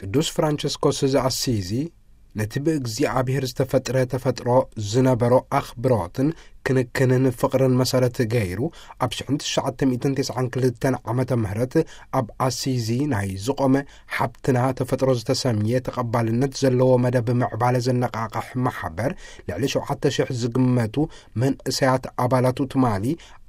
ቅዱስ ፍራንቸስኮስ ዘኣሲዚ ነቲ ብእግዚኣብሔር ዝተፈጥረ ተፈጥሮ ዝነበሮ ኣኽብሮትን ክንክንን ፍቕርን መሰረት ገይሩ፣ ኣብ ሽሕን ትሽዓተ ሚእትን ተስዓን ክልተን ዓመተ ምህረት ኣብ ኣሲዚ ናይ ዝቖመ ሓብትና ተፈጥሮ ዝተሰምየ ተቐባልነት ዘለዎ መደብ ምዕባለ ዘነቓቕሕ ማሕበር፣ ልዕሊ ሸውዓተ ሽሕ ዝግመቱ መንእሰያት ኣባላቱ ትማሊ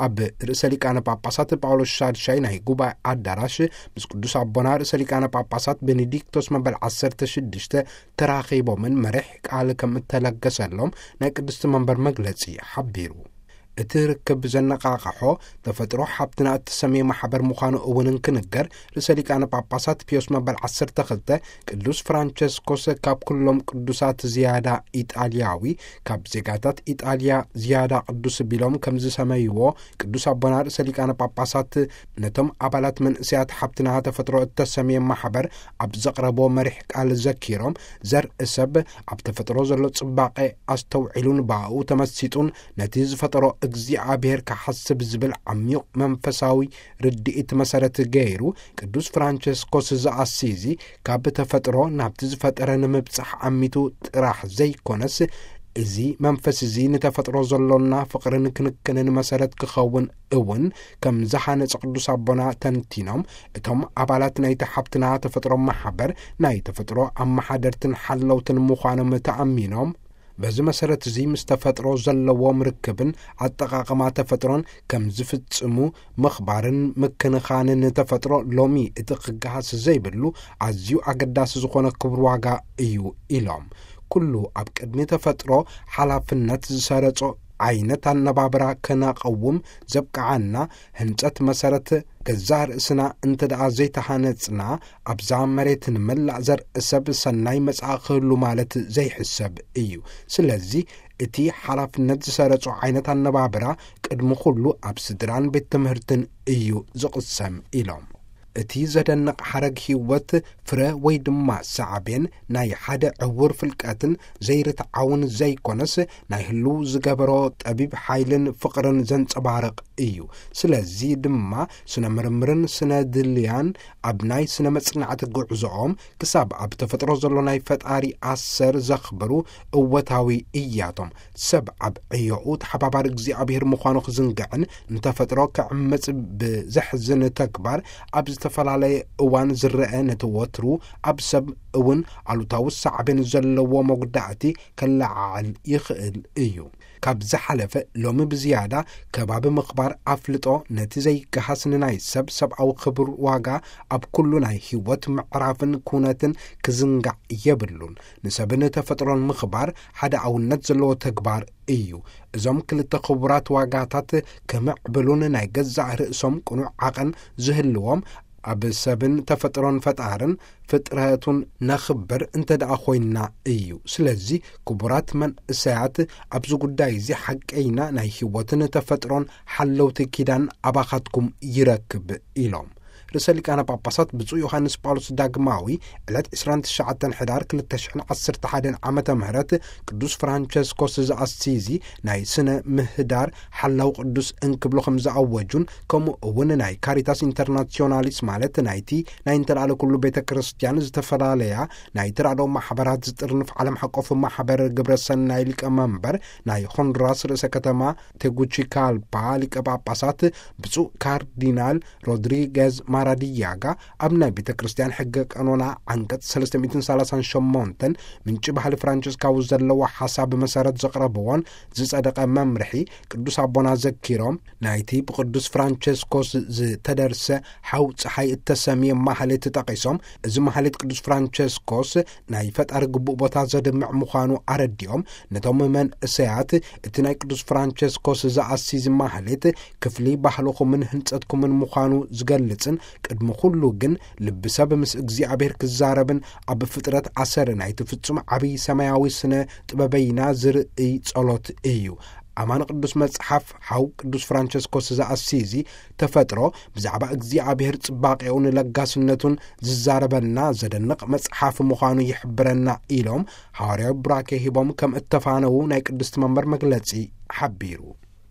ኣብ ርእሰ ሊቃነ ጳጳሳት ጳውሎስ ሻድሻይ ናይ ጉባኤ ኣዳራሽ ምስ ቅዱስ ኣቦና ርእሰ ሊቃነ ጳጳሳት ቤኔዲክቶስ መበል ዓሰርተ ሽዱሽተ ተራኺቦምን መሪሕ ቃል ከም እተለገሰሎም ናይ ቅድስቲ መንበር መግለጺ ሓቢሩ። እቲ ርክብ ዘነቓቕሖ ተፈጥሮ ሓብትና እተሰምየ ማሕበር ምዃኑ እውን እንክንገር፣ ርእሰ ሊቃነ ጳጳሳት ፒዮስ መበል ዓሰርተ ክልተ ቅዱስ ፍራንቸስኮስ ካብ ኩሎም ቅዱሳት ዝያዳ ኢጣልያዊ፣ ካብ ዜጋታት ኢጣልያ ዝያዳ ቅዱስ ቢሎም ከም ዝሰመይዎ ቅዱስ ኣቦና ርእሰ ሊቃነ ጳጳሳት ነቶም ኣባላት መንእሰያት ሓብትና ተፈጥሮ እተሰምየ ማሕበር ኣብ ዘቕረቦ መሪሕ ቃል ዘኪሮም፣ ዘርኢ ሰብ ኣብ ተፈጥሮ ዘሎ ጽባቐ ኣስተውዒሉን ብኣኡ ተመሲጡን ነቲ ዝፈጠሮ እግዚኣብሔር ክሓስብ ዝብል ዓሚቕ መንፈሳዊ ርድኢት መሰረት ገይሩ፣ ቅዱስ ፍራንቸስኮስ ዘኣሲዚ ካብ ተፈጥሮ ናብቲ ዝፈጠረ ንምብጻሕ ኣሚቱ ጥራሕ ዘይኮነስ፣ እዚ መንፈስ እዚ ንተፈጥሮ ዘሎና ፍቕርን ክንክንን መሰረት ክኸውን እውን ከም ዝሃነጸ ቅዱስ ኣቦና ተንቲኖም፣ እቶም ኣባላት ናይቲ ሓብትና ተፈጥሮ ማሕበር ናይ ተፈጥሮ ኣመሓደርትን ሓለውትን ምዃኖም ተኣሚኖም፣ በዚ መሰረት እዚ ምስ ተፈጥሮ ዘለዎም ርክብን ኣጠቓቕማ ተፈጥሮን ከም ዝፍጽሙ ምኽባርን ምክንኻንን ተፈጥሮ ሎሚ እቲ ክገሃስ ዘይብሉ ኣዝዩ ኣገዳሲ ዝኾነ ክቡር ዋጋ እዩ ኢሎም። ኩሉ ኣብ ቅድሚ ተፈጥሮ ሓላፍነት ዝሰረጾ ዓይነት ኣነባብራ ከነቐውም ዘብቅዓና ህንጸት መሰረት ገዛእ ርእስና እንተ ደኣ ዘይተሃነጽና፣ ኣብዛ መሬት ንመላእ ዘርኢ ሰብ ሰናይ መጻኢ ክህሉ ማለት ዘይሕሰብ እዩ። ስለዚ እቲ ሓላፍነት ዝሰረጾ ዓይነት ኣነባብራ ቅድሚ ኩሉ ኣብ ስድራን ቤት ትምህርትን እዩ ዝቕሰም ኢሎም። እቲ ዘደንቕ ሓረግ ህይወት ፍረ ወይ ድማ ሳዕቤን ናይ ሓደ ዕውር ፍልቀትን ዘይርትዓውን ዘይኮነስ፣ ናይ ህልው ዝገበሮ ጠቢብ ሓይልን ፍቕርን ዘንጸባርቕ እዩ። ስለዚ ድማ ስነ ምርምርን ስነ ድልያን ኣብ ናይ ስነ መጽናዕቲ ጉዕዞኦም ክሳብ ኣብ ተፈጥሮ ዘሎ ናይ ፈጣሪ ኣሰር ዘኽብሩ እወታዊ እያቶም። ሰብ ኣብ ዕዮኡ ተሓባባሪ እግዚኣብሔር ምዃኑ ክዝንግዕን ንተፈጥሮ ክዕምጽ ብዘሕዝን ተግባር ኣብ ዝተፈላለየ እዋን ዝረአ ነቲ ወትሩ ኣብ ሰብ እውን ኣሉታዊ ሳዕቤን ዘለዎ መጉዳእቲ ከለዓዕል ይኽእል እዩ። ካብ ዝሓለፈ ሎሚ ብዝያዳ ከባቢ ምኽባር ኣፍልጦ ነቲ ዘይገሃስ ንናይ ሰብ ሰብኣዊ ክብር ዋጋ ኣብ ኩሉ ናይ ህይወት ምዕራፍን ኩነትን ክዝንጋዕ የብሉን። ንሰብን ተፈጥሮን ምኽባር ሓደ ኣውነት ዘለዎ ተግባር እዩ። እዞም ክልተ ክቡራት ዋጋታት ክምዕብሉን ናይ ገዛእ ርእሶም ቅኑዕ ዓቐን ዝህልዎም ኣብ ሰብን ተፈጥሮን ፈጣርን ፍጥረቱን ነኽብር እንተ ደኣ ኮይንና እዩ። ስለዚ ክቡራት መንእሰያት ኣብዚ ጉዳይ እዚ ሓቀይና ናይ ህይወትን ተፈጥሮን ሓለውቲ ኪዳን ኣባኻትኩም ይረክብ ኢሎም። ርእሰ ሊቃነ ጳጳሳት ብፁዕ ዮሃንስ ጳውሎስ ዳግማዊ ዕለት ዕስራን ትሽዓተን ሕዳር ክልተ ሽሕን ዓሰርተ ሓደን ዓመተ ምህረት ቅዱስ ፍራንቸስኮስ ዘኣሲዚ ናይ ስነ ምህዳር ሓላው ቅዱስ እንክብሉ ከም ዝኣወጁን፣ ከምኡ እውን ናይ ካሪታስ ኢንተርናሲዮናሊስ ማለት ናይቲ ናይ እንተላለ ኩሉ ቤተ ክርስቲያን ዝተፈላለያ ናይ ተራድኦ ማሕበራት ዝጥርንፍ ዓለም ሓቆፍ ማሕበር ግብረ ሰናይ ሊቀ መንበር ናይ ሆንዱራስ ርእሰ ከተማ ቴጉቺካልፓ ሊቀ ጳጳሳት ብፁዕ ካርዲናል ሮድሪገዝ ማራዲያጋ ኣብ ናይ ቤተ ክርስቲያን ሕገ ቀኖና ዓንቀጽ ሰለስተ ሚእትን ሰላሳን ሸሞንተን ምንጪ ባህሊ ፍራንቸስካዊ ዘለዎ ሓሳብ መሰረት ዘቕረብዎን ዝጸደቐ መምርሒ ቅዱስ ኣቦና ዘኪሮም፣ ናይቲ ብቅዱስ ፍራንቸስኮስ ዝተደርሰ ሓው ጸሓይ እተሰምየ ማህሌት ጠቒሶም፣ እዚ ማህሌት ቅዱስ ፍራንቸስኮስ ናይ ፈጣሪ ግቡእ ቦታ ዘድምዕ ምዃኑ ኣረዲኦም፣ ነቶም መንእሰያት እቲ ናይ ቅዱስ ፍራንቸስኮስ ዘኣሲዝ ማህሌት ክፍሊ ባህልኹምን ህንጸትኩምን ምዃኑ ዝገልጽን፣ ቅድሚ ኩሉ ግን ልቢ ሰብ ምስ እግዚኣብሔር ክዛረብን ኣብ ፍጥረት ኣሰር ናይቲ ፍጹም ዓብዪ ሰማያዊ ስነ ጥበበይና ዝርእይ ጸሎት እዩ። ኣማን ቅዱስ መጽሓፍ ሓው ቅዱስ ፍራንቸስኮስ ዘኣሲዚ ተፈጥሮ ብዛዕባ እግዚኣብሔር ጽባቄኡን ለጋስነቱን ዝዛረበና ዘደንቕ መጽሓፍ ምዃኑ ይሕብረና ኢሎም፣ ሃዋርያዊ ቡራኬ ሂቦም ከም እተፋነዉ ናይ ቅድስቲ መንበር መግለጺ ሓቢሩ።